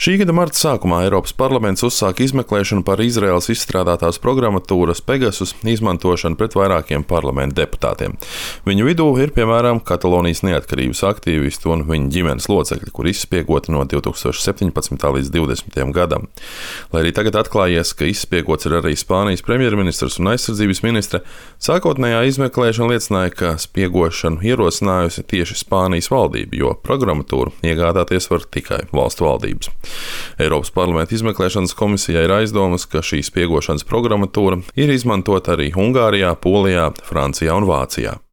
Šī gada marta sākumā Eiropas parlaments uzsāka izmeklēšanu par Izraēlas izstrādātās programmatūras Pegasus izmantošanu pret vairākiem parlamenta deputātiem. Viņu vidū ir, piemēram, Katalonijas neatkarības aktīvisti un viņa ģimenes locekļi, kur izspiegoti no 2017. līdz 2020. gadam. Lai arī tagad atklājies, ka izspiegots ir arī Spānijas premjerministrs un aizsardzības ministre, sākotnējā izmeklēšana liecināja, ka spiegošanu ierosinājusi tieši Spānijas valdība, jo programmatūru iegādāties var tikai valstu valdības. Eiropas parlamenta izmeklēšanas komisijai ir aizdomas, ka šī spiegošanas programmatūra ir izmantota arī Ungārijā, Polijā, Francijā un Vācijā.